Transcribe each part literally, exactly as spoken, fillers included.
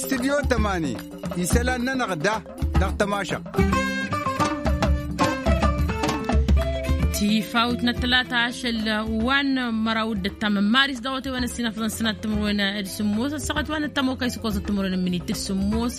Tidyo tămani isălan-nănăɣ da dăɣ-tămašăɣt. Tifawt n-ătlata ašăl wa n-măraw d-ăttam n-maris dăɣ-otewăn ăssinăfḍăn sănat timǝrwen d-sǝmmos ăssaɣăt wa n-ăttam okăy s-ǝkkoẓăt timǝrwen n-minit d-sǝmmos.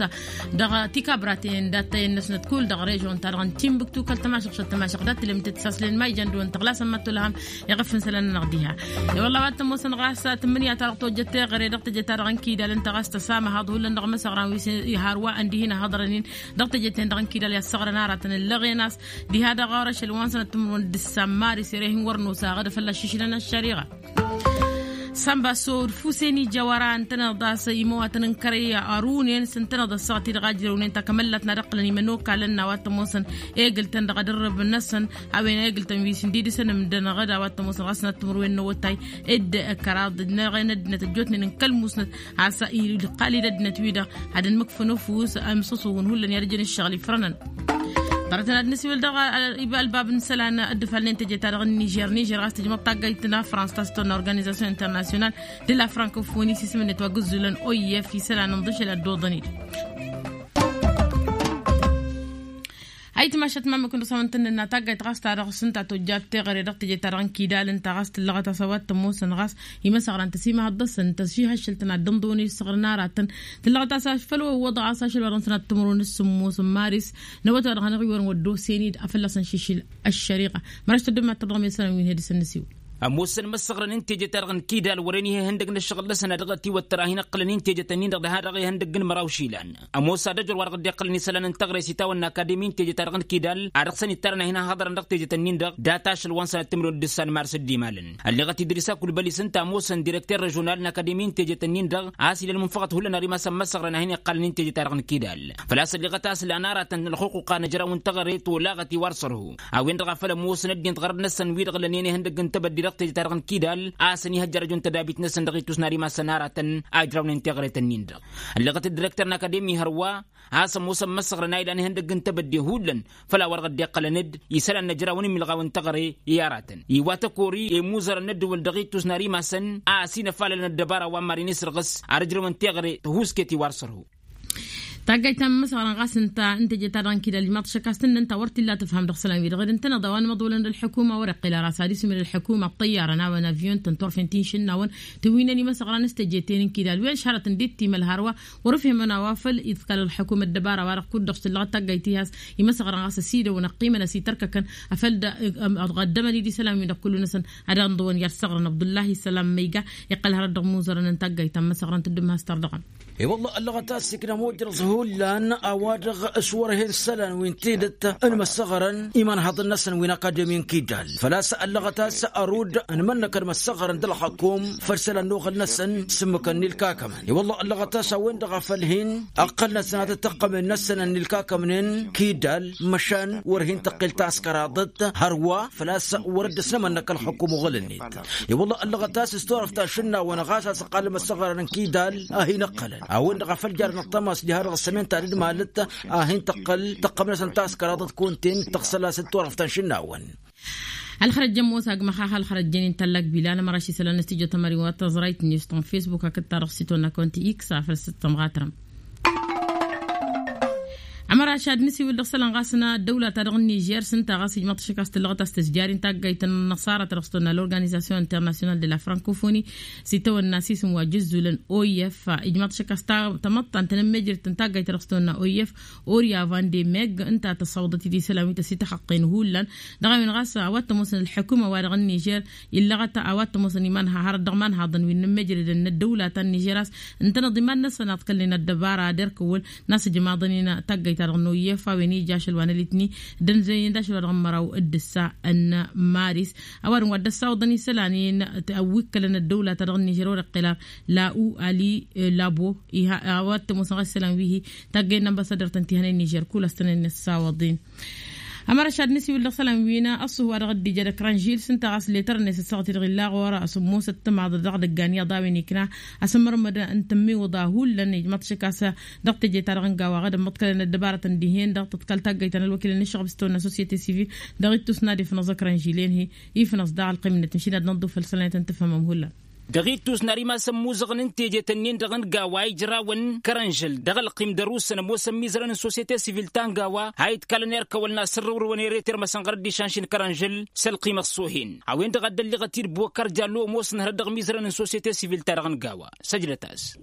Dăɣ-tikabraten d-attăyăn-năsnăt kull dăɣ-režon-ta-dăɣ n-timbuktu kăl-tămašăɣt šăt tămašăɣt dat-tǝlem tǝtsaslen ma ijan dăɣ-wăn tăɣlasăn ma t-olăhăm. Iɣǝf n-isălan-nănăɣ diha. I-wălla a-wa t-ămoosăn ɣas tǝmmǝnǝya-ta-dăɣ tojjăt teɣăre dăɣ-teje-ta-dăɣ n-kidal ǝnta ɣas tăsamăhăḍ hullan dăɣ-imăsăɣran wi s-ihar wa ăndihin ăhăḍrăn-in dăɣ-teje-ten-dăɣ n-kidal i-ăssăɣrăn aratăn ǝllăɣen a-s diha dăɣ-orăšăl wa n-sănăt timǝrwen d-ǝssan maris ere hin-wăr nosa aɣăd a fălla-s šišlăn ăššăriɣa. Sănba sod fuseni jăwăra ǝntăneḍ a-s imăwatăn n-kărăy arunen s-ǝntăneḍ ăssaɣăt-i-dăɣ a ǝjrăwnen takămăllat n-ad-ǝqqǝlăn imănokalăn n-a-wa t-ămoosăn egǝltăn dăɣ-edărrǝb-năsăn a-wen egǝltăn wi s-ǝndidǝsăn ǝmdăn ăɣăd a-wa t-ămoosăn ɣas n-ad-timǝrwen n-awătay. Dd-kăraḍ n-eɣen ăddinăt ăjjootnen n-kăl-musnăt a-s iqqal-dd ăddinăt-wi-dăɣ ad-ănmǝkfăn ăfuss ămsăsuhǝn hullan i-ad-ǝjăn ǝššăɣǝl ifrănăn. Ḍarătăn ad-nǝsiwǝl dăɣ-alba ăbnǝsălan dd-ifalnen teje-ta-dăɣ n-nižer nižer ɣas tǝjmăḍ taggayt n-afrans ta s-tonna organizasyon internasyonal de la frankofoni s-isǝm-net wa gǝzzulăn oif isălan n-iḍǝšel ad-dd-oḍăn-dd. Ayǝtmašat ma mǝkǝn dăɣ-s a-wen tǝnnǝnna taggayt ɣas ta dăɣ-s ǝnta tojjat teɣăre dăɣ-teje-ta-dăɣ n-kidal ǝnta ɣas tǝllăɣăt a-s a-wa t-ămoosăn ɣas imăsăɣran tăsimăhăḍ dăɣ-săn tăšihăššăl-tăn ad-dd-ănḍăwăn isăɣrăn aratăn. Tǝllăɣăt a-s făll-wăḍăɣ a-s ašăl wa dăɣ-săn ad-tǝmrǝwăn s-sǝmmos n-maris n-awăt wa dăɣ-hanăɣ-iwărăn wăddo senid a fălla-săn šišǝl ăššăriɣa. Măraš tăddǝm ad-tăḍɣăm i-isălan wi n-hedǝsăn nǝsiwǝl. Ămoosăn imăssăɣrăn n-teje-ta-dăɣ n-kidal wăren ihăndăg n-ăššăɣǝl-năsăn a dăɣ-tiwăttăr a hin-iqqălăn i-teje-tăn-in-dăɣ diha-dăɣ ihăndăgg n-măraw išilan. Ămoos ad-ăjor wa dăɣ-dd-iqqălăn isălan n-taɣre s-itawănna akademi n-teje-ta-dăɣ n-kidal a dăɣ-săn ittarăn a hin-ăhhăḍărăn dăɣ-teje-tăn-in-dăɣ data ašăl wa n-sănat timǝrwen d-ǝssan mars dd-imalăn. Ălleɣăt idris akulbăli s-ǝnta ămoosăn direkter režional n-akademi n-teje-tăn-in-dăɣ a-s ila ălmunfăɣăt hullan ar imasăn măssăɣrăn a hin-iqqalăn i-teje-ta-dăɣ n-kidal. Făl-a-s ălleɣăt a-s lan aratăn ălxuqquq a nǝjraw n-teɣăre tolaɣăt i-wa ărsărhu. A-wen-dăɣ a făl ămoosăn ăddinăt ɣărăt-năsăn wi-dăɣ lănen ihăndăgg n-tebădde dăɣ-teje-ta-dăɣ n-kidal a-s ănihăjjărăjun tădabit-năsăn dăɣ-ittus n-ad-imasăn aratăn a ǝjrawnen teɣăre-tăn-in-dăɣ. Ălleɣăt ăddirekter n-akademi hărwa a-s ămoosăn măssăɣrăn a ilan ihăndăgg n-tebădde hullan. Făll-a-wa dăɣ-dd-iqqălăn-dd isălan n-ejrawăn imǝlɣaw n-teɣăre i-aratăn iwat ăkori i-imuzărăn n-ăddǝwăl dăɣ-ittus n-ad-imasăn a ăsinăfalălăn ăddăbara wa n-mad-inisrăɣǝs ar ǝjrăwăn teɣăre tăhuusket i-wa ărsărhu. Taggayt ta n-imǝsɣărăn ɣas ǝnta n-teje-ta-dăɣ n-kidal ijmaḍ-t šăkk a-s tǝnnăn ta wăr t-illa tǝfham dăɣ-isălan-wi-dăɣ ed ǝntăneḍ a-wa n-imăḍolăn d-ălḥukuma wăr-iqqǝl ara s-ad-isǝm ed ălḥukuma ăṭṭăyyarăn a-wen avyun-tăn turfen ti n-išǝnnawăn tǝwwǝynen imăsɣăran s-teje-ten n-kidal wi ăšhărătăn d-ittimăl hărwa. Wăr-ǝfhimăn a-wa făl iḍkal ălḥukum ăddăbara-wa-dăɣ kud-dăɣ s-tǝllăɣăt taggayt tiha a-s imăsɣăran ɣas ăsidăwăn ăqqimăn ăsitărkăkăn afăl dăɣ-ăddămăn-dd isălan-win-dăɣ kullu-năsăn ad-ănḍăwăn i-ad-săɣrăn abdullahi isălan ma iga. Iqqăl hărăt dăɣ-imuzărăn n-taggayt ta n-imăsɣăran tǝddǝm has-tărdăɣăm. I-wălla ăllăɣăt a-s ikna mujrăẓ hullan a-wa-dăɣ s-wăr-hen isălan wi n-tidǝt n-imăssăɣrăn imanhaḍăn-năsăn wi n-akademi n-kidal. Făl-a-s ăllăɣăt a-s ărud n-imănnăkăn imăssăɣrăn d-ălxăkum făll-isălan n-oɣăl-năsăn s-ǝmmǝkăn n-ilkakamăn. I-wălla ăllăɣăt a-s a-wen-dăɣ a făl hin-ăqqăl-năsăn ad-ăttăqqămen-năsăn n-ilkakamnen kidal măšan wăr hin-tăqqel taskăraḍăt hărwa. Făl-a-s wăr dd-ăsnămănnăk ălxăkum oɣăl-net. I-wălla ăllăɣăt a-s s-turăft ta n-išǝnnawăn ɣas a-s ăqqalăm ăssăɣrăn n-kidal a hin-ǝqqălăn a-wen-dăɣ a făl jarăn ăṭṭămas diha-dăɣ ăssămen ta dd-malăt a hin-tăqqăl tăqqăm-năsăn taskăraḍăt kunta-en tăɣsăl-as d-turăft ta n-išǝnnawăn. Ălxărăjjăn mosag măxax ălxărăjjăn-in tallak bilan ămăraš isălan n-studyo tămări wa tăẓrayt n-istan facebook hakd-ta-dăɣ s-itwănna kăwăn-t-i x afăl s-tămɣatrăm. Ămăraš ad-nǝsiwǝl dăɣ-isălan ɣas n-ăddăwla-ta-dăɣ n-nižer s-ǝnta ɣas ijmăḍ-t šăkk a-s tǝllăɣăt a-s tǝzjar-in taggayt n-inăṣara ta dăɣ-s tăwănna l'organizasyon internasyonal de la francofoni s-itawănna s-isǝm wa jǝzzulăn. Oyef ijmăḍ-t šăkk a-s tamăḍtant n-ămmejrăt n-taggayt ta dăɣ-s tăwănna oyef orya van de meg ǝnta tăssawăḍăt-dd isălan wi tăsităxăqqen hullan. Dăɣ-a-wen ɣas a-wa t-ămoosăn ălḥukuma-wa-dăɣ n-nižer illăɣăt a-wa t-ămoosăn iman hărăt dăɣ-imanhaḍăn wi n-inǝmmejrădăn n-ăddăwla ta n-nižer a-s ǝntăneḍ iman-năsăn a ǝḍkălnen ăddăbara ad-erk ăwwăl n-a-s ǝjmaḍăn-in taggayt-ta-dăɣ n-oyef a-wen ija ašăl wa n-ălitni d-ănzăynen d-ašăl wa dăɣ-n măraw d-ǝssa n-maris. A-wa dăɣ-n wa dd-ăssawăḍăn isălan-in wi ǝkkălăn ăddăwla-ta-dăɣ n-nižer wăr-iqqǝl ar la u ali labo iha a-wa t-ămoosăn ɣas isălan wi-hi taggayt n-ambăsadăr-tăn ti hănen nižer kul a-s tăn-ănni ăssawăḍ-in. Ămăraš ad-nǝsiwǝl dăɣ-isălan wi n-ăṣṣuhu wa dăɣ-dd-ija d-ăkrăn žil s-ǝnta ɣas letăr-net ăssaɣăt-i-dăɣ illa ɣur-e a-s ămoosăt timaḍ dăɣ-idăggan iyyăḍ a-wen ikna asǝmmărmăd n-tǝmmiwǝḍa hullan ijmăḍ-t šăkk a-s dăɣ-teje-ta-dăɣ n-gawa ɣǝd ămmăḍkălăn ăddăbarăt ǝndihen-dăɣ tǝḍkal taggayt ta n-ălwăkilăn n-ǝššăɣb s-tăwănna ăssociete sivil dăɣ-ittus n-ad-ifnăẓ ăkrăn žil-en-hi. Ifnăẓ daɣ ălqim-net n-išin ad-năḍḍuf făll-isălan i-tăn-tǝfhămăm hullan. Dăɣ-ittus n-ar imasăn imuzăɣăn n-tejet-ǝnnin-dăɣ n-gawa ijrawăn kărănžăl dăɣ-ălqim d-ărusăn ămoosăn imizărăn n-sosyete sivil ta n-gawa ha itkalăn erkăwăl n-asǝrrǝwrǝwăn ere-termăsăn ɣărăt d-išanši n-kărănžăl s-ălqim ăṣṣohen. A-wen-dăɣ a dd-ălliɣăt-dd bokăr jallo ămoosăn hărăt dăɣ-imizărăn n-sosyete sivil-ta-dăɣ n-gawa. Săjdăt-as.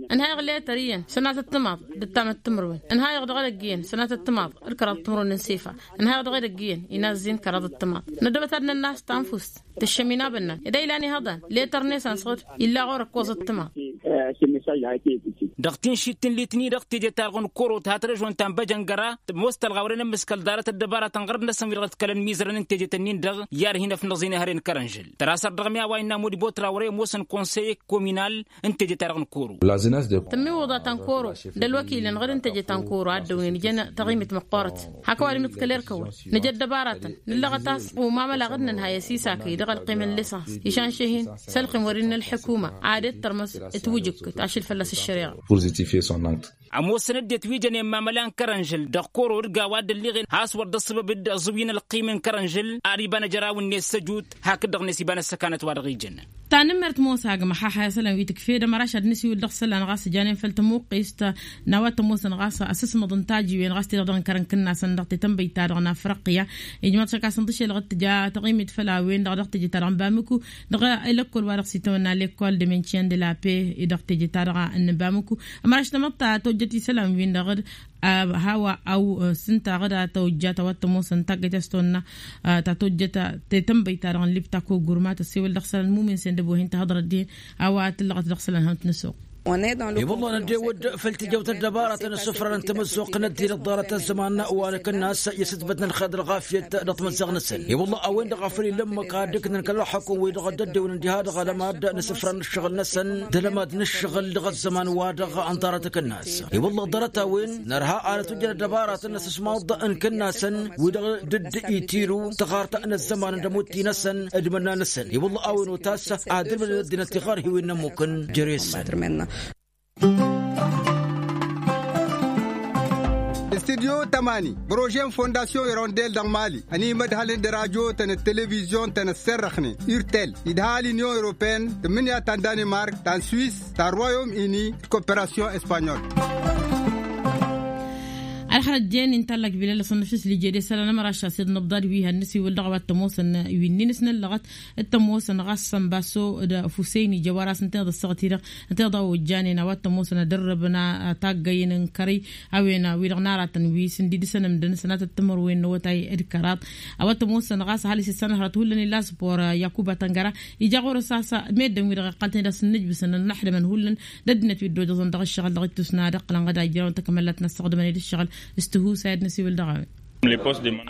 Ǝnhayăɣ letăr iyyăn sănatăt timaḍ d-ǝttamăt timǝrwen. Ǝnhayăɣ dăɣ-edăgg iyyăn sănatăt timaḍ d-kăraḍăt timǝrwen n-sefa. Ǝnhayăɣ dăɣ-edăgg iyyăn inazzen kăraḍăt timaḍ. Năddăbăt ad-nănnas tanfust tǝššăm inabănnan ed a ilan ihăḍan letăr-net a n-săɣǝd illa ɣur-ăkkoẓăt timaḍ. Dăɣ-tinšit n-litni-dăɣ teje-ta-dăɣ n-koro tǝha tărăžon ta n-băjăngăra tămoos tălɣawre n-ămmǝskăl ḍarăt ăddăbaratăn ɣărăt-năsăn wi-dăɣ ǝḍkălăn imizărăn n-tejet-ǝnnin-dăɣ i-ad-hin-ăfnăẓ inăhăre n-kărănžăl tărasăr dăɣ-mi a-wa innă modibot rawre ămoosăn konseye kominal n-teje-ta-dăɣ n-koro. Tǝmmiwǝḍa ta n-koro d-ălwăkilăn ɣǝd n-teje ta n-koro a dd-ăwnen ijăn taɣimit măqqoorăt hak ăwadǝm iḍkăl erkăwăn nǝja ăddăbaratăn nǝllăɣăt a-s umamăla ɣǝd n-ănhăy ăsisakăy dăɣ-ălqim n-lisans išan šehin s-ălqim wăr-innă ălḥukuma ad-dd-tărmăs ătwǝjǝk tašǝl fălla-s ăššăreɣa. Ămoosăn ăddinăt wi jănen mamăla n-kărănžăl dăɣ-koro d-gawa a dd-ălliɣen has-wăr dd-ăṣṣăbăb d-aẓǝwǝy n-ălqim n-kărănžăl ar iba n-ajăraw-net s-ăjut hakd-dăɣ-net iba n-ăssăkanăt wa dăɣ-ijăn. Tanǝmmert mosa agmăxaxa i-isălan wi tǝkfed ămăraš ad-nǝsiwǝl dăɣ-isălan ɣas janen făll-tămuqqist n-a-wa t-ămoosăn ɣas asǝsmăḍ n-tajiwen ɣas te-dăɣ dăɣ-inkărăn kǝnnasăn dăɣ-tetănbăyt-ta-dăɣ n-afriqya. Ijmaḍ šăkasăn tǝšelăɣ d-tǝja taɣimit făll-a-wen-dăɣ dăɣ-teje-ta-dăɣ n-bamuku dăɣ-lekol wa dăɣ-s itawănna lekol de mention de la paix dăɣ-teje-ta-dăɣ n-bamuku. Ămăraš tamăḍt ta tojjăt isălan-win-dăɣ d-a hawa aw s-ǝnta ɣǝd a tawăjjat a-wa t-ămoosăn taggăyt a-s tawănna ta tojjăt tetănbăyt-ta-dăɣ n-libta kogurma tăssewăl dăɣ-isălan mumin sendăb wa hin-tăhăḍrăt dihen a-wa tǝllăɣăt dăɣ-isălan hănt nǝsoɣ. I-wălla năddewăd făll-tijawt ăddăbaratăn ăssufrarăn tamăzzuɣt n-ăddinăt ḍarăt ăzzăman wa n-akǝnnas i-asǝtbăt n-ălxer d-ălɣafyăt dăɣ-timǝzzaɣ-năsăn. I-wălla a-wen-dăɣ a făl illa ǝmmǝk ad-dd-ǝknăn kăl-ălxukǝm-wi-dăɣ a dd-ăddewăn diha-dăɣ alămad n-asǝfra n-ǝššăɣǝl-năsăn d-alămad n-ǝššăɣǝl dăɣ-ăzzăman-wa-dăɣ n-ḍarăt akǝnnas. I-wălla ḍarăt-a-wen nărha ad-ătwǝjjăn ăddăbaratăn n-asǝsmaḍ n-kǝnnasăn wi-dăɣ dd-itiru tăɣart n-ăzzăman d-ămutti-năsăn d-imǝnna-năsăn. I-wălla a-wen otas ad-ǝlmǝdăn ăddinăt tiɣărhiwen n-ămmukăn jere-săn. Studyo tămani projet n-fondasyon irondel dăɣ-mali ănimădhălăn d-radyo-tăn d-televizyon-tăn ăsserrăxnen urtel idha l-inyon europeen tǝmmǝnǝya ta n-danemark ta n-swis ta n-royaume uni d-koperasyon espanyol. Ălxărăt jen intallak bilal asănnăfis lijede sălan ămăraša s-dd-nǝbḍad wi hannăs iwǝl dăɣ-a-wa t-ămoosăn wi-nin s-năllăɣăt t-ămoosăn ɣas sănbaso d-fusăyni jăwar a-s ǝnta iḍăssăɣăt-i-dăɣ ǝnta iḍa ojjanen a-wa t-ămoosăn ad-ărrăbăn taggăyăn n-kărăy a-wen wi-dăɣ n-aratăn wi s-ǝndidǝsăn ǝmdăn sănatăt timǝrwen n-awătay d-kăraḍ. A-wa t-ămoosăn ɣas ăhalǝs issanăhărăt hullan illa a-s bor i-akuba tăngăra ija ɣur-s a-s meddǝn wi-dăɣ iqqăl-tăn-dd a-s ǝnnǝjbǝsăn ănnăxdămăn hullan d-ăddinăt wi dd-ojăẓăn dăɣ-ǝššăɣǝl dăɣ-ittus n-ad-ǝqqǝlăn ɣǝd a ijrăwăn takmăllat n-ăssaɣdămăn d-ǝššăɣǝl s-tihusay ad-năsiwǝl dăɣ-a-wen.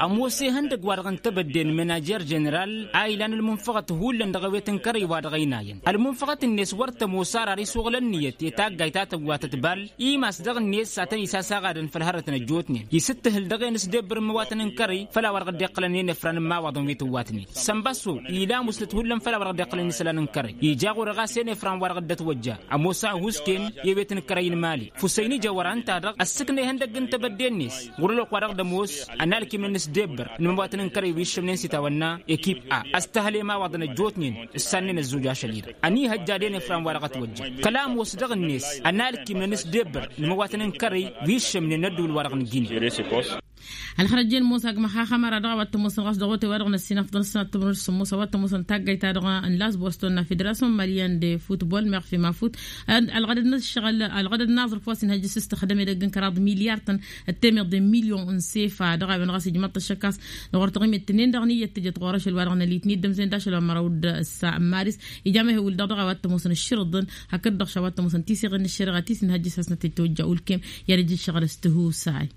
Ămoos ihăndăgg-wa-dăɣ n-tebădde n-mănajer ženeral a ilan ălmunfăɣăt hullan dăɣ-ewet n-kărăy-wa-dăɣ ăynayăn ălmunfăɣăt-net wăr tămoos ar ar iswăɣǝl ǝnniyăt i-taggayt ta tăwwatăt bal. Imas dăɣ-net a tăn-isasaɣadăn făll-hărătăn ăjjootnen isǝttǝhǝl dăɣ-en s-debbǝr n-imăwatăn n-kărăy făll-a-wa dăɣ-dd-iqqălăn i-inǝfra n-immawaḍăn wi tǝwwatnen. Sănbăsso ila musnăt hullan făll-a-wa dăɣ-dd-iqqălăn isălan n-kărăy ija ɣur-e ɣas i-inǝfra n-wa dăɣ-dd-ătwăjja. Ămoos a ăhuusken i-ewet n-kărăy n-mali fusăyni jăwăra ǝnta-dăɣ ăssǝknăyhăn dăgg n-tebădde-net ɣur-ălwăqq wa dăɣ-dd-ămoos ănalkim n-inǝsdebbăr n-imăwatăn n-kărăy wi ǝššǝmnen s-itawănna ekip a ăstăhăl i-imawaḍăn ăjjootnen. Ǝssannen ăzzuj ašăl-i-dăɣ ănihăjja d-inǝfra n-wa dăɣ-ătwăjja kăla ămoos dăɣ-net ănalkim n-inǝsdebbăr n-imăwatăn n-kărăy wi ǝššǝmnen n-ădduul-wa-dăɣ n-gine. Ălxărăt jen ămoos agmăx axămăra dăɣ-a-wa t-ămoosăn ɣas dăɣ-otay-wa-dăɣ n-ăssinăfḍăn s-sănat tămrun s-sămmos a-wa t-ămoosăn taggayt-ta-dăɣ n-las boston n-a federasyon malyan de futbol meɣ fi mafut. Ălɣădăd n-ăššăɣǝl ălɣădăd n-aẓrǝf wa s-inhăjjǝs s-tăxdăm edăgg n-kăraḍ milyar-tăn ăttemăḍ de milyon n-sefa dăɣ-a-wen ɣas ijmaḍ-t ăššăk a-s dăɣ-wăr taɣimit tǝnnin dăɣ-nǝyyăt tǝjăt ɣur-ašăl wa dăɣ-nălit n-iddăm s-en d-ašăl wa măraw d-ăssa n-maris. Ija mehewǝl dăɣ-dăɣ a-wa t-ămoosăn ǝššǝrǝḍăn hakd-dăɣ š-a-wa t-ămoosăn tiseɣen n-ăššăreɣa ti s-inhăjjǝs a-s nătăjj tăwăjja ulkem i-ad-ăj ǝššăɣǝl s-tihusay.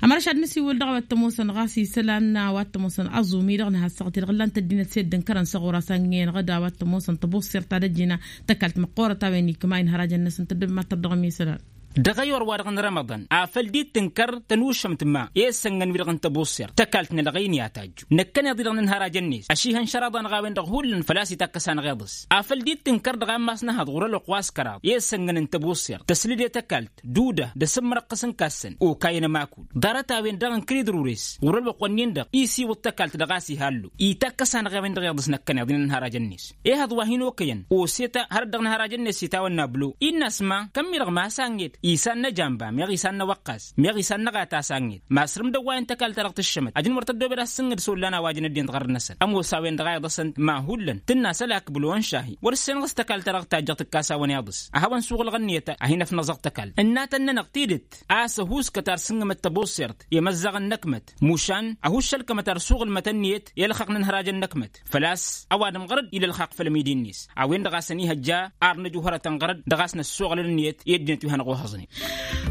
Ămăra šad nǝsiwǝl dăɣ-a-wa t-ămoosăn ɣas isălan a-wa t-ămoosăn aẓum-i-dăɣ nǝha ăssaɣăt-i-dăɣ ǝllan-t ăddinăt s-edd n-kărăn s-ɣur-as a ǝngen ɣǝd a-wa t-ămoosăn tăbuṣṣert ta d-ăjjina tăkalt măqqoorăt a-wen ikma inhărajăn-năsăn tăddăb mad-tărdăɣăm isălan. Dăɣ-ayor-wa-dăɣ n-rămăḍăn afăl dd-tǝnkăr tănušămt ma i-issănnăn-wi-dăɣ n-tăbuṣṣert tăkalt n-ălɣăyni a tajju năkkăneḍ-i-dăɣ n-inhăražăn-net ăšihăn šăraḍa-năɣ a-wen-dăɣ hullan făl-a-s itakkăs anăɣ-iḍǝs afăl dd-tǝnkăr dăɣ-ammas n-ehăḍ ɣur-ălwăqq wa s-kăraḍ i-issănnăn n-tăbuṣṣert tăslǝde tăkalt duda d-asǝmmărăqqăs n-kassăn okayăn ămakul ḍarăt-a-wen-dăɣ n-kăl-idrures ɣur-ălwăqq-wen-in-dăɣ isiwǝḍ tăkalt dăɣ-a-s ihallu itakkăs anăɣ-a-wen-dăɣ iḍǝs năkkăneḍ-in ănhăražăn-net. Ehăḍ wa hin-okăyăn oseta hărăt dăɣ-năhărajăn-net itawănna blo-i n-asma kămmi-dăɣ masa n-et isan n-ejamba meɣ isan n-ewăqqas meɣ isan n-eɣata sa n-et masrǝm dăwwayăn tăkalt-ta-dăɣ tǝššămăt ajăn wăr tăddoobed a s-sǝnnǝd s-ollan a-wa jăn ăddin dăɣ-arrănăsăn ămoos a-wen-dăɣ a iḍăsăn ma hullan tǝnna s-ălak blo n-šahi wăr-ǝssenăɣ s-tăkalt-ta-dăɣ tajjăɣ tǝkkas a-wăn iḍǝs. Ad-hawăn-suɣǝlɣăn niyăt a hin-ăfnăẓăɣ tăkalt ǝnnatăn-nănăɣ tidǝt a-s ăhuuskăt ar sǝngǝmăt tăbuṣṣert i-imăzzăɣăn n-ăkmăt mušan ăhuuššălkămăt ar suɣǝlmăt ǝnniyăt i-ălxaqq n-inhăražăn n-ăkmăt făl-a-s ăwadǝm ɣărăd ila ălxaqq făll-ămidi-net a-wen-dăɣ a-s ănihăjja ar nǝju hărătăn ɣărăd dăɣ-a-s năssuɣǝlăn ǝnniyăt i-ăddinăt wi hanăɣ-ohăẓnen.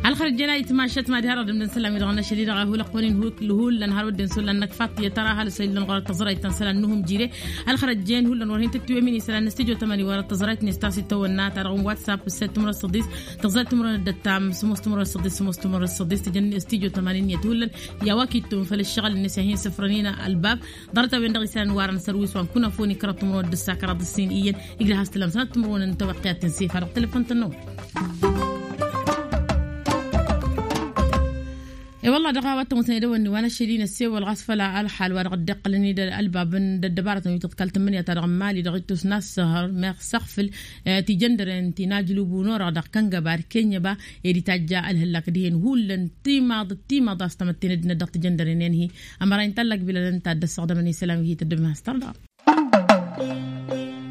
Ălxărăt jen a itmašăt mad-hi-arăɣ dăm-dd-ănsălam-i-dăɣ n-ašăl-i-dăɣ a hulăɣ-kăwăn-in hullan n-harăt ăddin s-ollan n-ăkfaḍt i-tăra ăhalǝs a illăn ɣur-ăttăẓrăyt ta n-isălan n-uhǝmjire. Ălxărăt jen hullan wăr hin-tǝttǝwem-in isălan n-studyo tămani wăr-ăttăẓrăyt-net ta s-itawănna ta dăɣ-n whatsapp s-săt timǝrăt săḍis tăẓrăyt timǝrăt d-ăttam sămoos timǝrăt săḍis sămoos timǝrăt săḍis tǝjăn studyo tămani n-iyyăt hullan. I-a-wa kittum făll-ǝššăɣǝl-net i-ad-hin-sǝfrăn-in ălbab ḍarăt-a-wen-dăɣ isălan n-warăn sărwis wa n-kunăfoni kărăt timǝrwen d-ǝssa kăraḍ ǝssin iyyăn. Igdăh a-s tǝlăm sănăt timǝrwen n-tawăqqiyat ti n-sifa dăɣ-telăfon-tăn-năwăn. E-wălla dăɣ-a-wa t-ămoosăn edăwănni wa n-ašăl-i n-ăssewăl ɣas făll-ălxal wa dăɣ-dd-iqqălăn-dd ălbab n-ăddăbarătăn wi tǝḍkal tǝmmǝnǝya-ta-dăɣ n-imali dăɣ-ittus n-assăhăr meɣ săɣfǝl. Tijăndăren ti n-ajlubu n-orăɣ dăɣ-kăngăba d-kenyăba ed itajja ălhăllak dihen hullan timaḍ timaḍ a-s tamătten ăddinăt dăɣ-tijăndăren i-ănhi. Ămăra intallak bilalăn ta dd-ăssăɣdămăn isălan wi hi-tăddăbem has-tărḍa.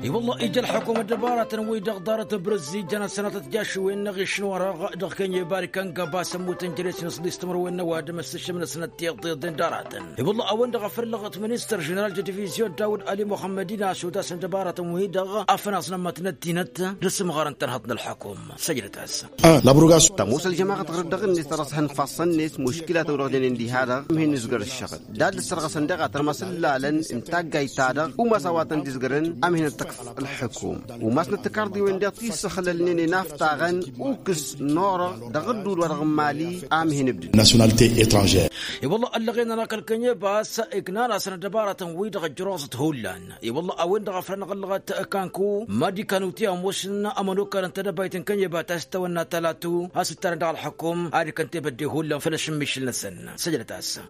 I-wălla ija ălḥukum ăddăbaratăn-wi-dăɣ ḍarăt n-brăzzi jăn ăssănatăt jašwen n-aɣiš n-orăɣ dăɣ-kenyeba d-kăngăba s-ămmut n-jere-s n-aṣḍis timǝrwen n-ăwadǝm s-tǝššǝm n-ăssănăt tiḍeḍen d-aratăn. I-wălla a-wen-dăɣ a făl ǝllăɣăt ministăr ženeral d-divizyon dawud ali muḥămmăd-in a-s otas n-ăddăbaratăn-wi-dăɣ afănaẓ n-ămmătnăt tinăt d-asǝmɣar n-tărhăḍ n-ălḥukum. Săjdăt-as. Tămoos ălžămaɣăt ɣur-dd dăɣ-net ta dăɣ-s hănfassăn-net muškilat a-wen-dăɣ jănen diha-dăɣ. Ămhin nǝzgăr ǝššăɣǝl d-ad-dd-sărɣăsăn daɣ a tărmăs ǝllalăn n-taggayt-ta-dăɣ umas a-wa tăn-dd-izgărăn. Amhin ăttăkf ălḥukum umasnăt tikarḍiwen daɣ ti s-ǝxlălnen i-inaf taɣăn ukǝs n-orăɣ dăɣ-ădduul wa dăɣ-n mali. Amhin ǝbdǝd. Nasyonalite etranžer. I-wălla ăllăɣen-anăɣ kăl-kănyebas iknan-asăn ăddăbaratăn-wi-dăɣ ăjjăroẓăt hullan. I-wălla a-wen-dăɣ a făl anăɣ-ăllăɣăt kanku mad-ikan uti ămoosăn ămănokal n-tedăbayt n-kănyeba ta s-tawănna talatu a-s ǝttarăn dăɣ-ălḥukum ad-ikăn tebădde hullan făll-ašǝmmišǝl-năsăn. Săjdăt-as.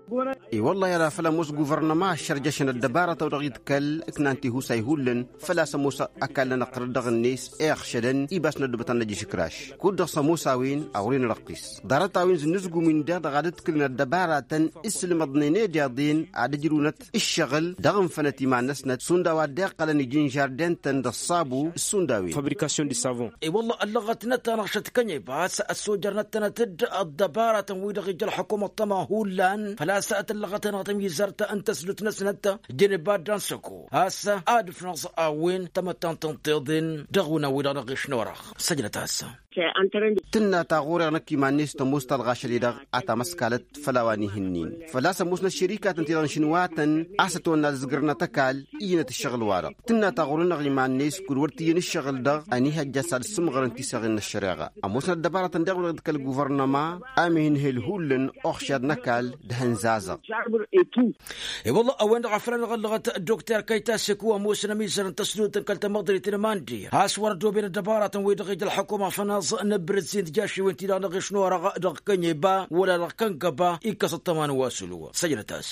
I-wălla i-ad-afăl ămoos guvărnăma ăššărjăšăn ăddăbarăt-a-wa dăɣ-iḍkăl ǝknan tihusa ihullan făl-a-s ămoos ăkall-nănăɣ tărăt dăɣ-net iɣšădăn. Iba s-năddubăt ad-năj ašǝkraš kud-dăɣ s-ămoos-a-wen a wăren răqqis ḍarăt-a-wen zǝnnǝzgum-in-deɣ dăɣ-ad-ǝdkǝlăn ăddăbaratăn. Ǝssǝlmăḍnen i-deḍen ad-ǝjrǝwnăt ǝššăɣǝl dăɣ-infănăt iman-năsnăt šund a-wa dd-iqqălăn iji-inžarden-tăn d-ăṣṣabu šund a-wen. Fabrikasyon d-savon. I-wălla ăllăɣătnăt-anăɣ šăt kănyebas ăssojărnăt-tănăt-dd ăddăbaratăn-wi-dăɣ ija ălxukum ăṭṭăma hullan făl-a-s tǝllăɣăt-anăɣ tămizărt n-tăsdut-năsnăt. Jăneb addan săko a-s ad-ǝfnăẓ a-wen tamăttant n-tiḍen dăɣ-unan-wi-dăɣ n-aɣiš n-orăɣ. Săjdăt-as. Tǝnna ta ɣur-eɣ năkk iman-net tămoos ta dăɣ-ašăl-i-dăɣ a tamăskalăt făll-a-wa n-ihǝnnin făl-a-s ămoosnăt šerikatăn ti-dăɣ n-išǝnwatăn a-s ătwănna ad-ǝzgǝrnăt ăkall. Ijnăt ǝššăɣǝl-wa-dăɣ tǝnna ta ɣur-enăɣ iman-net kud-wăr t-iyyăn ǝššăɣǝl-dăɣ ănihăjja s-ad-ǝssǝmɣărăn tiseɣen n-ăššăreɣa. Ămoosnăt ăddăbaratăn daɣ-wi-dăɣ d-kăl-guvărnăma. Amhin hel hullan oxšad n-ăkall d-ahǝnzazăɣ. I-wălla a-wen-dăɣ a făl anăɣ-ăllăɣăt dokter kăyta seku ămoosăn ămizăr n-tăsdut n-kăl-tamăḍrit n-mandi a-s wăr-ăddoben ăddăbaratăn-wi-dăɣ ija ălxukum afănaẓ n-abrǝzzin d-jašiwen-ti-dăɣ n-aɣiš n-orăɣ dăɣ-kănyeba wăla dăɣ-kăngăba. Ikkăs ăṭṭăma n-wa s-ǝlwăɣ săjdăt-as.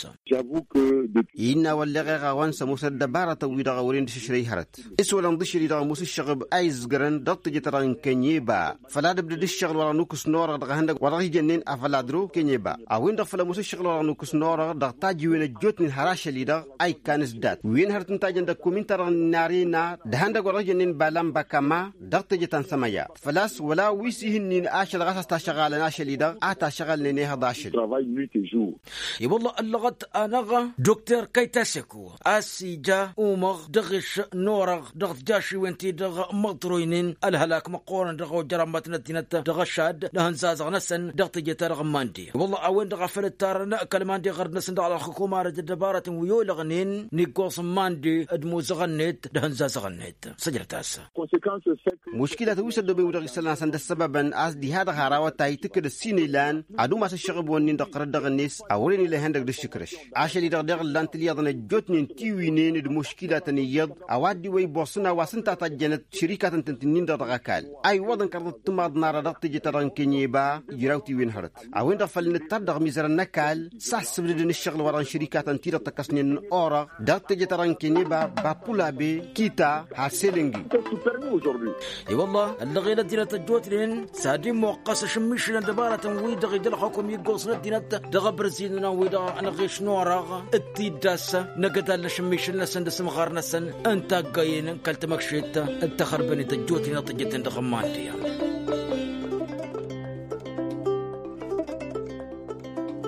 Innă a-wa ălleɣeɣ a-wa n-sămoosăn ăddăbaratăn-wi-dăɣ a wăren d-išǝšrăy hărăt s-wălăn d-ašăl-i-dăɣ ămoos ǝššăɣǝb a izzǝgărăn dăɣ-teje-ta-dăɣ n-kănyeba. Făl ad-ǝbdăd ǝššăɣǝl-wa-dăɣ n-ukǝs n-orăɣ dăɣ-ehăndăgg wa dăɣ-ijănnen afăl adro kănyeba a-wen-dăɣ făl ămoos ǝššăɣǝl-wa-dăɣ n-ukǝs n-orăɣ dăɣ-tajiwen ăjjootnen har ašăl-i-dăɣ. A ikkan s-dat wi-en hărăt n-tajăn dăɣ-komin-ta-dăɣ n-arena d-ehăndăgg wa dăɣ-ijănnen balan bakama dăɣ-teje ta n-sămăya. Făl-a-s wăla wi s-ihǝnnin ašăl ɣas a-s tašăɣalăn ašăl-i-dăɣ a tašăɣalnen ehăḍ ašăl. I-wălla ăllăɣăt-anăɣ dokter kăyta seku a-s ija umăɣ dăɣ-eš n-orăɣ dăɣ-tijašiwen-ti-dăɣ măḍroynen ălhălak măqqoorăn dăɣ-ojăr ămmătnăt tinăt dăɣ-ăšad d-ahǝnzazăɣ-năsăn dăɣ-teje-ta-dăɣ n-mandi. I-wălla a-wen-dăɣ a făl ǝttarăn kăl-mandi ɣărd-năsăn dăɣ-ălxukum arăj d-ăddăbarătăn wi olăɣnen n-iggoẓ n-mandi d-imuzăɣ-net d-ahǝnzazăɣ-net. Săjdăt-as. Muškilatăn wi s-ăddooben wi-dăɣ isălan. a-s ăndăssăbăbăn a-s diha-dăɣ har a-wa ta itǝkkǝd ăssiinăylan ad-umas ăššăɣǝb-wăn-in-dăɣ tărăt dăɣ-net a wăren ila ihăndăg d-ǝššǝkrăš. Ašăl-i-dăɣ daɣ ǝllan tǝlyaḍăn ăjjootnen tiwǝynen d-muškilatăn iyyăḍ a-wa dd-iwăy bossăn a-wa s-ǝnta a tajjănăt šărikatăn-tăn-tǝnnin-dăɣ dăɣ-ăkall a iwwăḍăn kărăḍăt timaḍnara dăɣ-teje-ta-dăɣ n-kenyeba. Ijraw tiwǝyăn hărăt a-wen-dăɣ făl nǝttar dăɣ-mizărăn n-ăkall s-a ăssǝbdǝdăn ǝššăɣǝl-wa-dăɣ n-šărikatăn-ti-dăɣ tăkkăsnen n-orăɣ dăɣ-teje-ta-dăɣ n-kenyeba. Bapulabe kita har selăngi. I-wălla ăllăɣel ăddinăt ăjjootnen s-ad-immoqqăs ašǝmmišǝl n-dăbaratăn-wi-dăɣ ija ălxukum iggoẓ n-ăddinăt dăɣ-abărăzin-nănăɣ wi-dăɣ anăɣeš n-orăɣ d-tiddas n-agădal n-ašǝmmišǝl-năsăn d-asǝmɣar-năsăn n-taggăyen n-kăl-tamăkšet d-taxărbănit ăjjootnen ad-t-ǝjjăten dăɣ-ămman tiyyăn.